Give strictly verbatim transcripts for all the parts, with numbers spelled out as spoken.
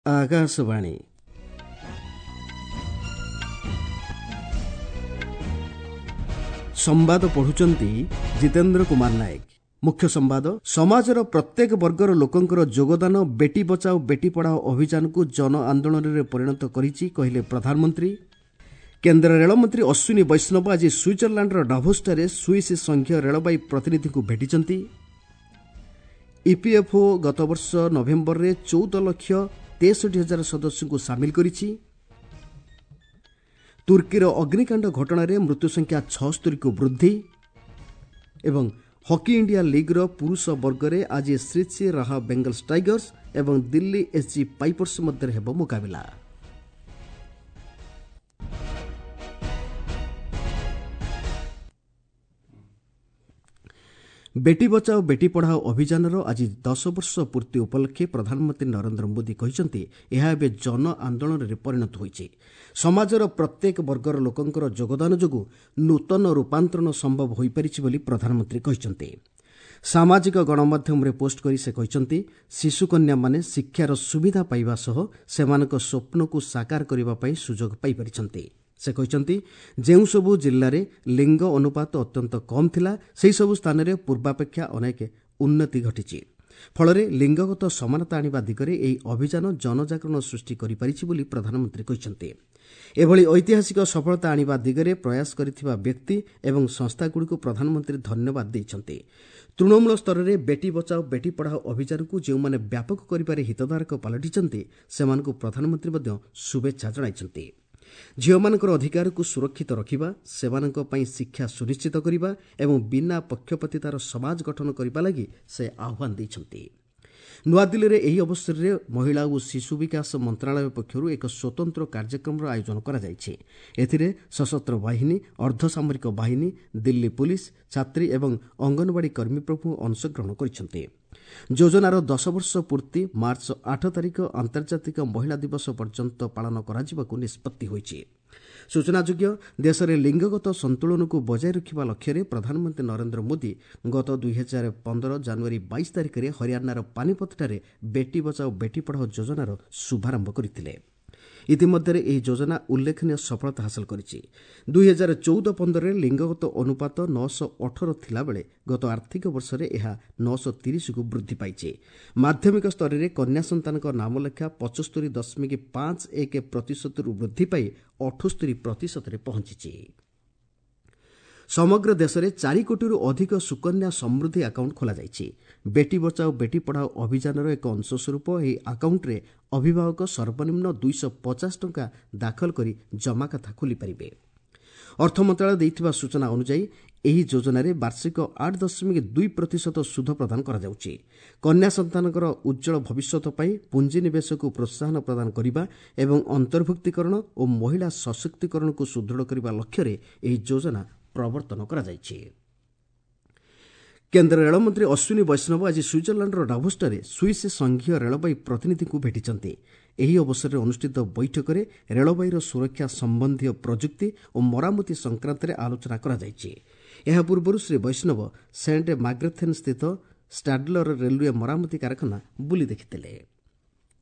ଆକାଶବାଣୀ। ସମ୍ବାଦ ପଢୁଛନ୍ତି ଜିତେନ୍ଦ୍ର କୁମାର ନାୟକ। ମୁଖ୍ୟ ସମ୍ବାଦ। ସମାଜର ପ୍ରତ୍ୟେକ ବର୍ଗର ଲୋକଙ୍କର ଯୋଗଦାନ ବେଟି ବଚାଓ ବେଟି ପଢ଼ାଓ ଅଭିଯାନକୁ ଜନ ଆନ୍ଦୋଳନରେ ପରିଣତ କରିଛି, କହିଲେ ପ୍ରଧାନମନ୍ତ୍ରୀ। କେନ୍ଦ୍ର ରେଳମନ୍ତ୍ରୀ ଅଶ୍ୱିନୀ ବୈଷ୍ଣବ ଆଜି ସୁଇଜରଲ୍ୟାଣ୍ଡର ଡାଭୋସଠାରେ ସୁଇସ୍ ସଂଘୀୟ ରେଳବାଇ ପ୍ରତିନିଧିଙ୍କୁ ଭେଟିଛନ୍ତି। ଇପିଏଫ୍ଓ ଗତବର୍ଷ ନଭେମ୍ବରରେ ଚଉଦ ଲକ୍ଷ ତେଷଠି ହଜାର ସଦସ୍ୟଙ୍କୁ ସାମିଲ କରିଛି। ତୁର୍କୀର ଅଗ୍ନିକାଣ୍ଡ ଘଟଣାରେ ମୃତ୍ୟୁସଂଖ୍ୟା ଛଅସ୍ତରୀକୁ ବୃଦ୍ଧି। ଏବଂ ହକି ଇଣ୍ଡିଆ ଲିଗ୍ର ପୁରୁଷ ବର୍ଗରେ ଆଜି ଶ୍ରୀ ଶ୍ରୀ ରାହା ବେଙ୍ଗଲ୍ସ ଟାଇଗର୍ସ ଏବଂ ଦିଲ୍ଲୀ ଏସ୍ଜି ପାଇପର୍ସ ମଧ୍ୟରେ ହେବ ମୁକାବିଲା। ବେଟି ବଚାଓ ବେଟି ପଢ଼ାଓ ଅଭିଯାନର ଆଜି ଦଶ ବର୍ଷ ପୂର୍ତ୍ତି ଉପଲକ୍ଷେ ପ୍ରଧାନମନ୍ତ୍ରୀ ନରେନ୍ଦ୍ର ମୋଦି କହିଛନ୍ତି, ଏହା ଏବେ ଜନ ଆନ୍ଦୋଳନରେ ପରିଣତ ହୋଇଛି। ସମାଜର ପ୍ରତ୍ୟେକ ବର୍ଗର ଲୋକଙ୍କର ଯୋଗଦାନ ଯୋଗୁଁ ନୂତନ ରୂପାନ୍ତରଣ ସମ୍ଭବ ହୋଇପାରିଛି ବୋଲି ପ୍ରଧାନମନ୍ତ୍ରୀ କହିଛନ୍ତି। ସାମାଜିକ ଗଣମାଧ୍ୟମରେ ପୋଷ୍ଟ କରି ସେ କହିଛନ୍ତି, ଶିଶୁକନ୍ୟାମାନେ ଶିକ୍ଷାର ସୁବିଧା ପାଇବା ସହ ସେମାନଙ୍କ ସ୍ୱପ୍ନକୁ ସାକାର କରିବା ପାଇଁ ସୁଯୋଗ ପାଇପାରିଛନ୍ତି। ସେ କହିଛନ୍ତି, ଯେଉଁସବୁ ଜିଲ୍ଲାରେ ଲିଙ୍ଗ ଅନୁପାତ ଅତ୍ୟନ୍ତ କମ୍ ଥିଲା, ସେହିସବୁ ସ୍ଥାନରେ ପୂର୍ବାପେକ୍ଷା ଅନେକ ଉନ୍ନତି ଘଟିଛି। ଫଳରେ ଲିଙ୍ଗଗତ ସମାନତା ଆଣିବା ଦିଗରେ ଏହି ଅଭିଯାନ ଜନଜାଗରଣ ସୃଷ୍ଟି କରିପାରିଛି ବୋଲି ପ୍ରଧାନମନ୍ତ୍ରୀ କହିଛନ୍ତି। ଏଭଳି ଐତିହାସିକ ସଫଳତା ଆଣିବା ଦିଗରେ ପ୍ରୟାସ କରିଥିବା ବ୍ୟକ୍ତି ଏବଂ ସଂସ୍ଥାଗୁଡ଼ିକୁ ପ୍ରଧାନମନ୍ତ୍ରୀ ଧନ୍ୟବାଦ ଦେଇଛନ୍ତି। ତୃଣମୂଳ ସ୍ତରରେ ବେଟି ବଚାଓ ବେଟି ପଢ଼ାଓ ଅଭିଯାନକୁ ଯେଉଁମାନେ ବ୍ୟାପକ କରିବାରେ ହିତଧାରକ ପାଲଟିଛନ୍ତି, ସେମାନଙ୍କୁ ପ୍ରଧାନମନ୍ତ୍ରୀ ମଧ୍ୟ ଶୁଭେଚ୍ଛା ଜଣାଇଛନ୍ତି। ଝିଅମାନଙ୍କର ଅଧିକାରକୁ ସୁରକ୍ଷିତ ରଖିବା, ସେମାନଙ୍କ ପାଇଁ ଶିକ୍ଷା ସୁନିଶ୍ଚିତ କରିବା ଏବଂ ବିନା ପକ୍ଷପାତିତାର ସମାଜ ଗଠନ କରିବା ଲାଗି ସେ ଆହ୍ୱାନ ଦେଇଛନ୍ତି। ନୂଆଦିଲ୍ଲୀରେ ଏହି ଅବସରରେ ମହିଳା ଓ ଶିଶୁ ବିକାଶ ମନ୍ତ୍ରଣାଳୟ ପକ୍ଷରୁ ଏକ ସ୍ୱତନ୍ତ୍ର କାର୍ଯ୍ୟକ୍ରମର ଆୟୋଜନ କରାଯାଇଛି। ଏଥିରେ ସଶସ୍ତ୍ର ବାହିନୀ, ଅର୍ଦ୍ଧସାମରିକ ବାହିନୀ, ଦିଲ୍ଲୀ ପୁଲିସ୍, ଛାତ୍ରୀ ଏବଂ ଅଙ୍ଗନବାଡ଼ି କର୍ମୀ ପ୍ରମୁଖ ଅଂଶଗ୍ରହଣ କରିଛନ୍ତି। ଯୋଜନାର ଦଶ ବର୍ଷ ପୂର୍ତ୍ତି ମାର୍ଚ୍ଚ ଆଠ ତାରିଖ ଆନ୍ତର୍ଜାତିକ ମହିଳା ଦିବସ ପର୍ଯ୍ୟନ୍ତ ପାଳନ କରାଯିବାକୁ ନିଷ୍ପତ୍ତି ହୋଇଛି। ସୂଚନାଯୋଗ୍ୟ, ଦେଶରେ ଲିଙ୍ଗଗତ ସନ୍ତୁଳନକୁ ବଜାୟ ରଖିବା ଲକ୍ଷ୍ୟରେ ପ୍ରଧାନମନ୍ତ୍ରୀ ନରେନ୍ଦ୍ର ମୋଦି ଗତ ଦୁଇହଜାର ପନ୍ଦର ଜାନୁଆରୀ ବାଇଶ ତାରିଖରେ ହରିୟାଣାର ପାନିପଥଠାରେ ବେଟି ବଚାଓ ବେଟି ପଢ଼ାଓ ଯୋଜନାର ଶୁଭାରମ୍ଭ କରିଥିଲେ। ଇତିମଧ୍ୟରେ ଏହି ଯୋଜନା ଉଲ୍ଲେଖନୀୟ ସଫଳତା ହାସଲ କରିଛି। ଦୁଇହଜାର ଚଉଦ ପନ୍ଦରରେ ଲିଙ୍ଗଗତ ଅନୁପାତ ନଅଶହ ଅଠର ଥିଲାବେଳେ ଗତ ଆର୍ଥିକ ବର୍ଷରେ ଏହା ନଅଶହ ତିରିଶକୁ ବୃଦ୍ଧି ପାଇଛି। ମାଧ୍ୟମିକ ସ୍ତରରେ କନ୍ୟା ସନ୍ତାନଙ୍କ ନାମଲେଖା ପଞ୍ଚସ୍ତରୀ ଦଶମିକ ପାଞ୍ଚ ଏକ ପ୍ରତିଶତରୁ ବୃଦ୍ଧି ପାଇ ଅଠସ୍ତରୀ ପ୍ରତିଶତରେ ପହଞ୍ଚିଛି। ସମଗ୍ର ଦେଶରେ ଚାରି କୋଟିରୁ ଅଧିକ ସୁକନ୍ୟା ସମୃଦ୍ଧି ଆକାଉଣ୍ଟ ଖୋଲାଯାଇଛି। ବେଟି ବଚାଓ ବେଟି ପଢ଼ାଓ ଅଭିଯାନର ଏକ ଅଂଶସ୍ୱରୂପ ଏହି ଆକାଉଣ୍ଟରେ ଅଭିଭାବକ ସର୍ବନିମ୍ନ ଦୁଇଶହ ପଚାଶ ଟଙ୍କା ଦାଖଲ କରି ଜମାଖାତା ଖୋଲିପାରିବେ। ଅର୍ଥ ମନ୍ତ୍ରଣାଳୟ ଦେଇଥିବା ସୂଚନା ଅନୁଯାୟୀ ଏହି ଯୋଜନାରେ ବାର୍ଷିକ ଆଠ ଦଶମିକ ଦୁଇ ପ୍ରତିଶତ ସୁଧ ପ୍ରଦାନ କରାଯାଉଛି। କନ୍ୟା ସନ୍ତାନଙ୍କର ଉଜ୍ଜ୍ୱଳ ଭବିଷ୍ୟତ ପାଇଁ ପୁଞ୍ଜିନିବେଶକୁ ପ୍ରୋତ୍ସାହନ ପ୍ରଦାନ କରିବା ଏବଂ ଅନ୍ତର୍ଭୁକ୍ତୀକରଣ ଓ ମହିଳା ସଶକ୍ତିକରଣକୁ ସୁଦୃଢ଼ କରିବା ଲକ୍ଷ୍ୟରେ ଏହି ଯୋଜନା ପ୍ରବର୍ତ୍ତନ କରାଯାଇଛି। କେନ୍ଦ୍ର ରେଳମନ୍ତ୍ରୀ ଅଶ୍ୱିନୀ ବୈଷ୍ଣବ ଆଜି ସୁଇଜରଲ୍ୟାଣ୍ଡର ଡାଭୋସଠାରେ ସୁଇସ୍ ସଂଘୀୟ ରେଳବାଇ ପ୍ରତିନିଧିଙ୍କୁ ଭେଟିଛନ୍ତି। ଏହି ଅବସରରେ ଅନୁଷ୍ଠିତ ବୈଠକରେ ରେଳବାଇର ସୁରକ୍ଷା ସମ୍ବନ୍ଧୀୟ ପ୍ରଯୁକ୍ତି ଓ ମରାମତି ସଂକ୍ରାନ୍ତରେ ଆଲୋଚନା କରାଯାଇଛି। ଏହା ପୂର୍ବରୁ ଶ୍ରୀ ବୈଷ୍ଣବ ସେଣ୍ଟ ମାଗ୍ରେଥେନ୍ ସ୍ଥିତ ଷ୍ଟାଡଲର ରେଲୱେ ମରାମତି କାରଖାନା ବୁଲି ଦେଖିଥିଲେ।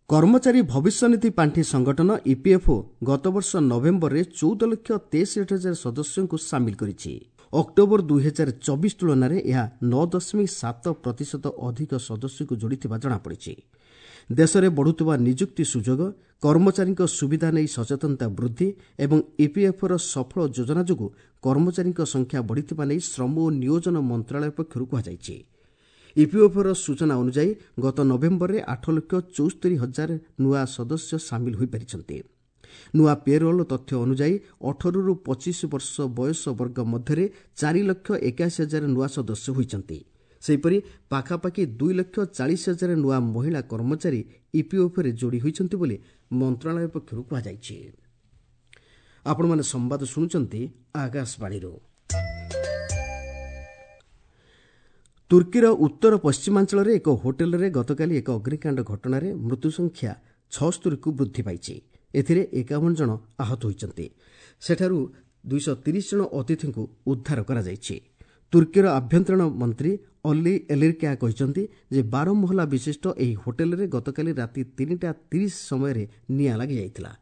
କର୍ମଚାରୀ ଭବିଷ୍ୟନିଧି ପାଣ୍ଠି ସଂଗଠନ ଇପିଏଫ୍ଓ ଗତବର୍ଷ ନଭେମ୍ବରରେ ଚଉଦ ଲକ୍ଷ ତେଷଠି ହଜାର ସଦସ୍ୟଙ୍କୁ ସାମିଲ କରିଛି। ଅକ୍ଟୋବର ଦୁଇହଜାର ଚବିଶ ତୁଳନାରେ ଏହା ନଅ ଦଶମିକ ସାତ ପ୍ରତିଶତ ଅଧିକ ସଦସ୍ୟଙ୍କୁ ଯୋଡ଼ିଥିବା ଜଣାପଡ଼ିଛି। ଦେଶରେ ବଢ଼ୁଥିବା ନିଯୁକ୍ତି ସୁଯୋଗ, କର୍ମଚାରୀଙ୍କ ସୁବିଧା ନେଇ ସଚେତନତା ବୃଦ୍ଧି ଏବଂ ଇପିଏଫ୍ଓର ସଫଳ ଯୋଜନା ଯୋଗୁଁ କର୍ମଚାରୀଙ୍କ ସଂଖ୍ୟା ବଢ଼ିଥିବା ନେଇ ଶ୍ରମ ଓ ନିୟୋଜନ ମନ୍ତ୍ରଣାଳୟ ପକ୍ଷରୁ କୁହାଯାଇଛି। ଇପିଏଫ୍ଓର ସୂଚନା ଅନୁଯାୟୀ ଗତ ନଭେମ୍ବରରେ ଆଠ ଲକ୍ଷ ଚଉସ୍ତରୀ ହଜାର ନୂଆ ସଦସ୍ୟ ସାମିଲ ହୋଇପାରିଛନ୍ତି। ନୂଆ ପେରୋଲ୍ ତଥ୍ୟ ଅନୁଯାୟୀ ଅଠରରୁ ପଚିଶ ବର୍ଷ ବୟସ ବର୍ଗ ମଧ୍ୟରେ ଚାରି ଲକ୍ଷ ଏକାଅଶୀ ହଜାର ନୂଆ ସଦସ୍ୟ ହୋଇଛନ୍ତି। ସେହିପରି ପାଖାପାଖି ଦୁଇ ଲକ୍ଷ ଚାଳିଶ ହଜାର ନୂଆ ମହିଳା କର୍ମଚାରୀ ଇପିଏଫ୍ଓରେ ଯୋଡ଼ି ହୋଇଛନ୍ତି ବୋଲି ମନ୍ତ୍ରଣାଳୟ ପକ୍ଷରୁ କୁହାଯାଇଛି। ଆପଣମାନେ ସମ୍ବାଦ ଶୁଣୁଛନ୍ତି ଆକାଶବାଣୀରୁ। ତୁର୍କୀର ଉତ୍ତର ପଶ୍ଚିମାଞ୍ଚଳରେ ଏକ ହୋଟେଲରେ ଗତକାଲି ଏକ ଅଗ୍ନିକାଣ୍ଡ ଘଟଣାରେ ମୃତ୍ୟୁସଂଖ୍ୟା ଛଅସ୍ତରୀକୁ ବୃଦ୍ଧି ପାଇଛି। ଏଥିରେ ଏକାବନ ଜଣ ଆହତ ହୋଇଛନ୍ତି। ସେଠାରୁ ଦୁଇଶହ ତିରିଶ ଜଣ ଅତିଥିଙ୍କୁ ଉଦ୍ଧାର କରାଯାଇଛି। ତୁର୍କୀର ଆଭ୍ୟନ୍ତରୀଣ ମନ୍ତ୍ରୀ ଅଲି ଏଲିରକାୟା କହିଛନ୍ତି ଯେ ବାର ମହଲା ବିଶିଷ୍ଟ ଏହି ହୋଟେଲରେ ଗତକାଲି ରାତି ତିନିଟା ତିରିଶ ସମୟରେ ନିଆଁ ଲାଗିଯାଇଥିଲା।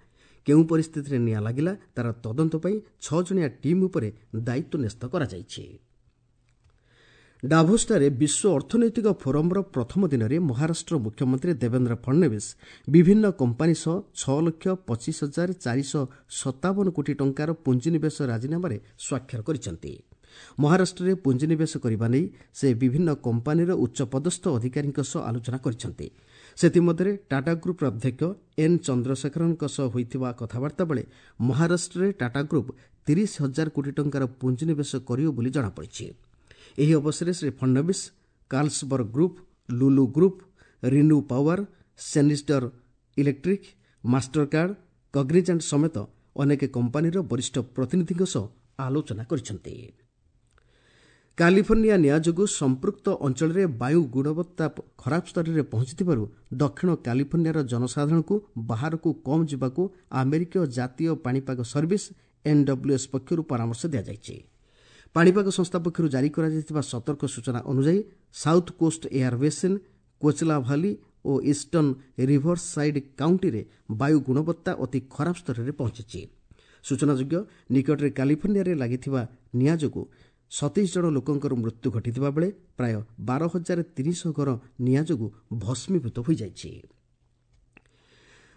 କେଉଁ ପରିସ୍ଥିତିରେ ନିଆଁ ଲାଗିଲା ତାର ତଦନ୍ତ ପାଇଁ ଛଅ ଜଣିଆ ଟିମ୍ ଉପରେ ଦାୟିତ୍ୱ ନ୍ୟସ୍ତ କରାଯାଇଛି। ଡାଭୋସଠାରେ ବିଶ୍ୱ ଅର୍ଥନୈତିକ ଫୋରମ୍ର ପ୍ରଥମ ଦିନରେ ମହାରାଷ୍ଟ୍ର ମୁଖ୍ୟମନ୍ତ୍ରୀ ଦେବେନ୍ଦ୍ର ଫଡଣବିସ୍ ବିଭିନ୍ନ କମ୍ପାନୀ ସହ ଛଅ ଲକ୍ଷ ପଚିଶ ହଜାର ଚାରିଶହ ସତାବନ କୋଟି ଟଙ୍କାର ପୁଞ୍ଜିନିବେଶ ରାଜିନାମାରେ ସ୍ୱାକ୍ଷର କରିଛନ୍ତି। ମହାରାଷ୍ଟ୍ରରେ ପୁଞ୍ଜିନିବେଶ କରିବା ନେଇ ସେ ବିଭିନ୍ନ କମ୍ପାନୀର ଉଚ୍ଚପଦସ୍ଥ ଅଧିକାରୀଙ୍କ ସହ ଆଲୋଚନା କରିଛନ୍ତି। ସେଥିମଧ୍ୟରେ ଟାଟା ଗ୍ରୁପ୍ର ଅଧ୍ୟକ୍ଷ ଏନ୍ ଚନ୍ଦ୍ରଶେଖରନ୍ଙ୍କ ସହ ହୋଇଥିବା କଥାବାର୍ତ୍ତା ବେଳେ ମହାରାଷ୍ଟ୍ରରେ ଟାଟା ଗ୍ରୁପ୍ ତିରିଶ ହଜାର କୋଟି ଟଙ୍କାର ପୁଞ୍ଜିନିବେଶ କରିବ ବୋଲି ଜଣାପଡ଼ିଛି। ଏହି ଅବସରରେ Shri Fadnavis Carlsberg group, Lulu group, ReNew power, Schneider electric, Mastercard, Cognizant ସମେତ ଅନେକ କମ୍ପାନୀର ବରିଷ୍ଠ ପ୍ରତିନିଧିଙ୍କ ସହ ଆଲୋଚନା କରିଛନ୍ତି। କାଲିଫର୍ଣ୍ଣିଆ ନିଆଁ ଯୋଗୁଁ ସମ୍ପୃକ୍ତ ଅଞ୍ଚଳରେ ବାୟୁ ଗୁଣବତ୍ତା ଖରାପ ସ୍ତରରେ ପହଞ୍ଚିଥିବାରୁ ଦକ୍ଷିଣ କାଲିଫର୍ଣ୍ଣିଆର ଜନସାଧାରଣଙ୍କୁ ବାହାରକୁ କମ୍ ଯିବାକୁ ଆମେରିକୀୟ ଜାତୀୟ ପାଣିପାଗ ସର୍ଭିସ୍ ଏନ୍ଡବ୍ଲ୍ୟୁଏସ୍ ପକ୍ଷରୁ ପରାମର୍ଶ ଦିଆଯାଇଛି। ପାଣିପାଗ ସଂସ୍ଥା ପକ୍ଷରୁ ଜାରି କରାଯାଇଥିବା ସତର୍କ ସୂଚନା ଅନୁଯାୟୀ south coast air basin, Coachella valley ଓ ଇଷ୍ଟର୍ଣ୍ଣ ରିଭର ସାଇଡ୍ କାଉଣ୍ଟିରେ ବାୟୁ ଗୁଣବତ୍ତା ଅତି ଖରାପ ସ୍ତରରେ ପହଞ୍ଚିଛି। ସୂଚନାଯୋଗ୍ୟ, ନିକଟରେ କାଲିଫର୍ଣ୍ଣିଆରେ ଲାଗିଥିବା ନିଆଁ ଯୋଗୁଁ ସତେଇଶ ଜଣ ଲୋକଙ୍କର ମୃତ୍ୟୁ ଘଟିଥିବା ବେଳେ ପ୍ରାୟ ବାର ହଜାର ତିନିଶହ ଘର ନିଆଁ ଯୋଗୁଁ ଭସ୍ମୀଭୂତ ହୋଇଯାଇଛି।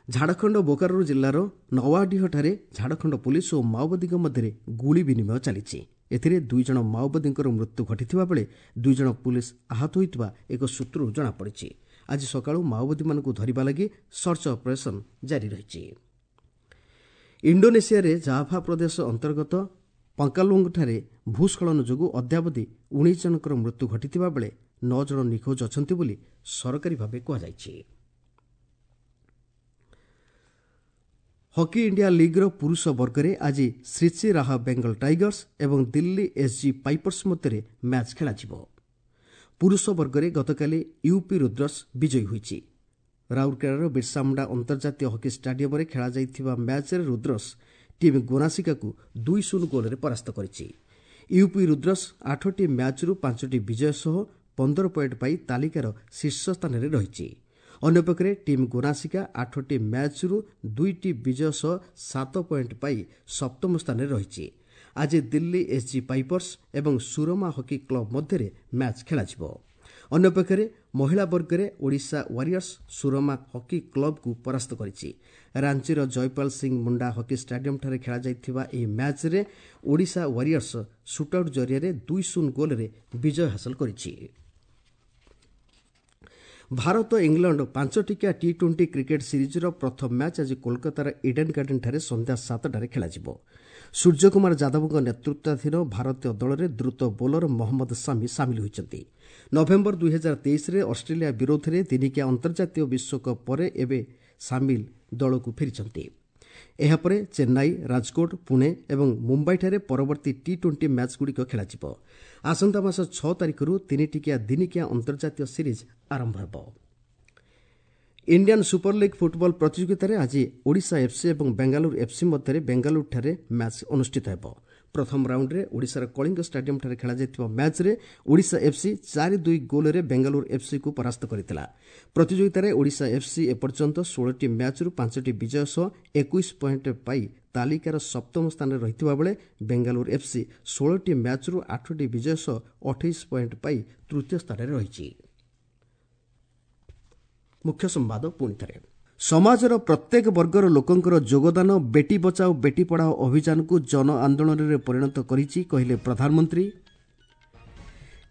ଝାଡ଼ଖଣ୍ଡ ବୋକାରୋ ଜିଲ୍ଲାର ନୱାଡିହଠାରେ ଝାଡ଼ଖଣ୍ଡ ପୁଲିସ ଓ ମାଓବାଦୀଙ୍କ ମଧ୍ୟରେ ଗୁଳି ବିନିମୟ ଚାଲିଛି। ଏଥିରେ ଦୁଇ ଜଣ ମାଓବାଦୀଙ୍କର ମୃତ୍ୟୁ ଘଟିଥିବା ବେଳେ ଦୁଇ ଜଣ ପୁଲିସ ଆହତ ହୋଇଥିବା ଏକ ସୂତ୍ରରୁ ଜଣାପଡ଼ିଛି। ଆଜି ସକାଳୁ ମାଓବାଦୀମାନଙ୍କୁ ଧରିବା ଲାଗି ସର୍ଚ୍ଚ ଅପରେସନ୍ ଜାରି ରହିଛି। ଇଣ୍ଡୋନେସିଆରେ ଜାଭା ପ୍ରଦେଶ ଅନ୍ତର୍ଗତ ପଙ୍କାଲୁଙ୍ଗଠାରେ ଭୂସ୍ଖଳନ ଯୋଗୁଁ ଅଦ୍ୟାବଧି ଉଣେଇଶ ଜଣଙ୍କର ମୃତ୍ୟୁ ଘଟିଥିବା ବେଳେ ନଅ ଜଣ ନିଖୋଜ ଅଛନ୍ତି ବୋଲି ସରକାରୀ ଭାବେ କୁହାଯାଇଛି। ହକି ଇଣ୍ଡିଆ ଲିଗ୍ର ପୁରୁଷ ବର୍ଗରେ ଆଜି ଶ୍ରୀଚି ରାହା ବେଙ୍ଗଲ ଟାଇଗର୍ସ ଏବଂ ଦିଲ୍ଲୀ ଏସ୍ଜି ପାଇପର୍ସ ମଧ୍ୟରେ ମ୍ୟାଚ୍ ଖେଳାଯିବ। ପୁରୁଷ ବର୍ଗରେ ଗତକାଲି ୟୁପି ରୁଦ୍ରସ୍ ବିଜୟୀ ହୋଇଛି। ରାଉରକେଲାର ବିର୍ସାମୁଣ୍ଡା ଅନ୍ତର୍ଜାତୀୟ ହକି ଷ୍ଟାଡିୟମରେ ଖେଳାଯାଇଥିବା ମ୍ୟାଚ୍ରେ ରୁଦ୍ରସ୍ ଟିମ୍ ଗୋନାସିକାକୁ ଦୁଇ ଶୂନ ଗୋଲରେ ପରାସ୍ତ କରିଛି। ୟୁପି ରୁଦ୍ରସ୍ ଆଠଟି ମ୍ୟାଚ୍ରୁ ପାଞ୍ଚଟି ବିଜୟ ସହ ପନ୍ଦର ପଏଣ୍ଟ ପାଇ ତାଲିକାର ଶୀର୍ଷ ସ୍ଥାନରେ ରହିଛି। ଅନ୍ୟପକ୍ଷରେ ଟିମ୍ ଗୋନାସିକା ଆଠଟି ମ୍ୟାଚ୍ରୁ ଦୁଇଟି ବିଜୟ ସହ ସାତ ପଏଣ୍ଟ ପାଇ ସପ୍ତମ ସ୍ଥାନରେ ରହିଛି। ଆଜି ଦିଲ୍ଲୀ ଏସ୍ଜି ପାଇପର୍ସ ଏବଂ ସୁରମା ହକି କ୍ଲବ ମଧ୍ୟରେ ମ୍ୟାଚ୍ ଖେଳାଯିବ। ଅନ୍ୟପକ୍ଷରେ ମହିଳା ବର୍ଗରେ ଓଡ଼ିଶା ୱାରିୟର୍ସ ସୁରମା ହକି କ୍ଲବକୁ ପରାସ୍ତ କରିଛି। ରାଞ୍ଚିର ଜୟପାଲ ସିଂ ମୁଣ୍ଡା ହକି ଷ୍ଟାଡିୟମଠାରେ ଖେଳାଯାଇଥିବା ଏହି ମ୍ୟାଚ୍ରେ ଓଡ଼ିଶା ୱାରିୟର୍ସ ସୁଟ୍ଆଉଟ୍ ଜରିଆରେ ଦୁଇ ଶୂନ ଗୋଲରେ ବିଜୟ ହାସଲ କରିଛି। ଭାରତ ଇଂଲଣ୍ଡ ପାଞ୍ଚଟିକିଆ ଟି ଟ୍ୱେଣ୍ଟି କ୍ରିକେଟ୍ ସିରିଜ୍ର ପ୍ରଥମ ମ୍ୟାଚ୍ ଆଜି କୋଲକାତାର ଇଡେନ୍ ଗାର୍ଡେନ୍ଠାରେ ସନ୍ଧ୍ୟା ସାତଟାରେ ଖେଳାଯିବ। ସୂର୍ଯ୍ୟକୁମାର ଯାଦବଙ୍କ ନେତୃତ୍ୱାଧୀନ ଭାରତୀୟ ଦଳରେ ଦ୍ରୁତ ବୋଲର ମହମ୍ମଦ ସାମି ସାମିଲ ହୋଇଛନ୍ତି। ନଭେମ୍ବର ଦୁଇ ହଜାର ତେଇଶରେ ଅଷ୍ଟ୍ରେଲିଆ ବିରୋଧରେ ଦିନିକିଆ ଅନ୍ତର୍ଜାତୀୟ ବିଶ୍ୱକପ୍ ପରେ ଏବେ ସାମିଲ ଦଳକୁ ଫେରିଛନ୍ତି। ଏହାପରେ ଚେନ୍ନାଇ, ରାଜକୋଟ, ପୁଣେ ଏବଂ ମୁମ୍ବାଇଠାରେ ପରବର୍ତ୍ତୀ ଟି ଟ୍ୱେଣ୍ଟି ମ୍ୟାଚ୍ଗୁଡ଼ିକ ଖେଳାଯିବ। ଆସନ୍ତା ମାସ ଛଅ ତାରିଖରୁ ତିନିଟିକିଆ ଦିନିକିଆ ଅନ୍ତର୍ଜାତୀୟ ସିରିଜ୍ ଆରମ୍ଭ ହେବ। ଇଣ୍ଡିଆନ୍ ସୁପର ଲିଗ୍ ଫୁଟବଲ ପ୍ରତିଯୋଗିତାରେ ଆଜି ଓଡ଼ିଶା ଏଫ୍ସି ଏବଂ ବେଙ୍ଗାଲୁରୁ ଏଫ୍ସି ମଧ୍ୟରେ ବେଙ୍ଗାଲୁରୁଠାରେ ମ୍ୟାଚ୍ ଅନୁଷ୍ଠିତ ହେବ। ପ୍ରଥମ ରାଉଣ୍ଡରେ ଓଡ଼ିଶାର କଳିଙ୍ଗ ଷ୍ଟାଡିୟମଠାରେ ଖେଳାଯାଇଥିବା ମ୍ୟାଚ୍ରେ ଓଡ଼ିଶା ଏଫ୍ସି ଚାରି ଦୁଇ ଗୋଲରେ ବେଙ୍ଗାଲୁରୁ ଏଫ୍ସିକୁ ପରାସ୍ତ କରିଥିଲା। ପ୍ରତିଯୋଗିତାରେ ଓଡ଼ିଶା ଏଫ୍ସି ଏପର୍ଯ୍ୟନ୍ତ ଷୋହଳଟି ମ୍ୟାଚ୍ରୁ ପାଞ୍ଚଟି ବିଜୟ ସହ ଏକୋଇଶ ପଏଣ୍ଟ ପାଇ ତାଲିକାର ସପ୍ତମ ସ୍ଥାନରେ ରହିଥିବା ବେଳେ ବେଙ୍ଗାଲୁରୁ ଏଫ୍ସି ଷୋହଳଟି ମ୍ୟାଚ୍ରୁ ଆଠଟି ବିଜୟ ସହ ଅଠେଇଶ ପଏଣ୍ଟ ପାଇ ତୃତୀୟ ସ୍ଥାନରେ ରହିଛି। ମୁଖ୍ୟ ସମ୍ବାଦ ପୁଣି ଥରେ। ସମାଜର ପ୍ରତ୍ୟେକ ବର୍ଗର ଲୋକଙ୍କର ଯୋଗଦାନ ବେଟି ବଚାଓ ବେଟି ପଢ଼ାଓ ଅଭିଯାନକୁ ଜନ ଆନ୍ଦୋଳନରେ ପରିଣତ କରିଛି, କହିଲେ ପ୍ରଧାନମନ୍ତ୍ରୀ।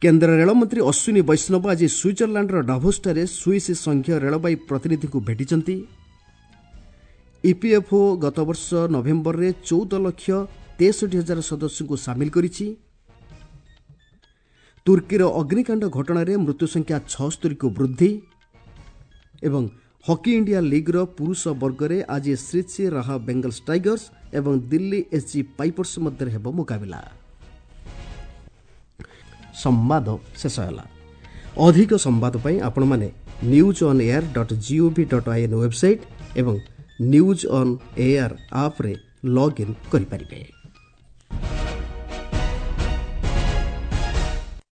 କେନ୍ଦ୍ର ରେଳମନ୍ତ୍ରୀ ଅଶ୍ୱିନୀ ବୈଷ୍ଣବ ଆଜି ସୁଇଜରଲ୍ୟାଣ୍ଡର ଡାଭୋସଠାରେ ସୁଇସ୍ ସଂଘୀୟ ରେଳବାଇ ପ୍ରତିନିଧିଙ୍କୁ ଭେଟିଛନ୍ତି। ଇପିଏଫ୍ଓ ଗତବର୍ଷ ନଭେମ୍ବରରେ ଚଉଦ ଲକ୍ଷ ତେଷଠି ହଜାର ସଦସ୍ୟଙ୍କୁ ସାମିଲ କରିଛି। ତୁର୍କୀର ଅଗ୍ନିକାଣ୍ଡ ଘଟଣାରେ ମୃତ୍ୟୁସଂଖ୍ୟା ଛଅସ୍ତରୀକୁ ବୃଦ୍ଧି। ଏବଂ ହକି ଇଣ୍ଡିଆ ଲିଗ୍ର ପୁରୁଷ ବର୍ଗରେ ଆଜି ଶ୍ରୀଚି ରାହା ବେଙ୍ଗଲ୍ସ ଟାଇଗର୍ସ ଏବଂ ଦିଲ୍ଲୀ ଏସ୍ଜି ପାଇପର୍ସ ମଧ୍ୟରେ ହେବ ମୁକାବିଲା। ସମ୍ବାଦ ଶେଷ ହେଲା। ଅଧିକ ସମ୍ବାଦ ପାଇଁ ଆପଣମାନେ news on air dot gov dot I N website ଏବଂ ନ୍ୟୁଜ୍ ଅନ୍ ଏୟାର ଆପ୍ରେ ଲଗ୍ଇନ୍ କରିପାରିବେ।